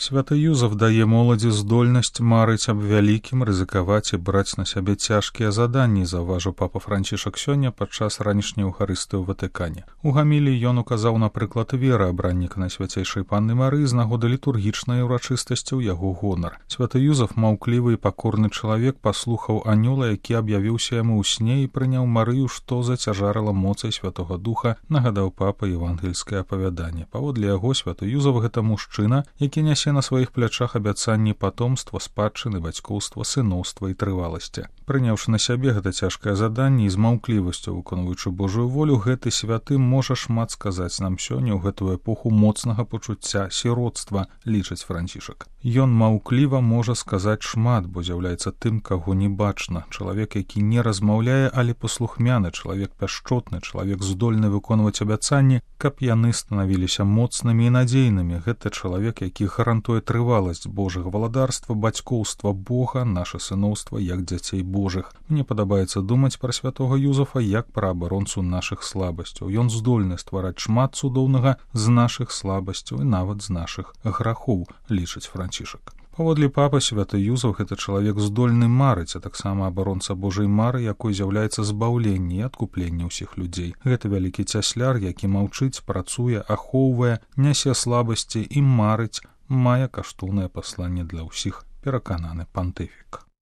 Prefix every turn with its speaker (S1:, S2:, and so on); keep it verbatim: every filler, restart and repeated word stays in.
S1: Святы Юзаф дае моладзі здольнасць марыць аб вялікім, рызыкаваць і браць на сябе цяжкія заданні, заўважыў папа Францішак сёння падчас ранішняй Еўхарыстыі ў Ватыкане. У гаміліі ён указаў на прыклад веры абранніка Найсвяцейшай Панны Марыі з нагоды літургічнай урачыстасці ў яго гонар. Святы Юзаф, маўклівы і пакорны чалавек, паслухаў анёла, які аб'явіўся яму ў сне і прыняў Марыю, што зацяжарыла моцай Святога Духа, нагадаў папа евангельскае апавяданне. Паводле яго, святы Юзаф — гэта мужчына, які нясе на сваіх плячах абяцанні патомства, спадчыны, бацькоўства, сыноўства і трываласці. Прыняўшы на сябе гэта цяжкае заданне і з маўклівасцю выконваючы Божую волю, гэты святы можа шмат сказаць нам сёння ў гэтую эпоху моцнага пачуцця сіротства, лічыць Францішак. Ён маўкліва можа сказаць шмат, бо з'яўляецца тым, каго не бачна. Чалавек, які не размаўляе, але паслухмяны, чалавек пяшчотны, чалавек здольны выконваць абяцанні, каб яны станавіліся моцнымі і надзейнымі. Гэта чалавек, які гарантуе трываласць Божага валадарства, бацькоўства Бога, наша сыноўства як дзяцей Божых. Мне падабаецца думаць пра святога Юзафа як пра абаронцу нашых слабасцяў. Ён здольны ствараць шмат цудоўнага з нашых слабасцяў і нават з нашых грахоў, лічыць Францішак. Паводле папы, святы Юзаф — гэта чалавек здольны марыць, а таксама абаронца Божай мары, якой з'яўляецца збаўленне і адкупленне ўсіх людзей. Гэта вялікі цясляр, які маўчыць, працуе, ахоўвае, нясе слабасці і марыць, мае каштоўнае пасланне для ўсіх, перакананы пантыфік.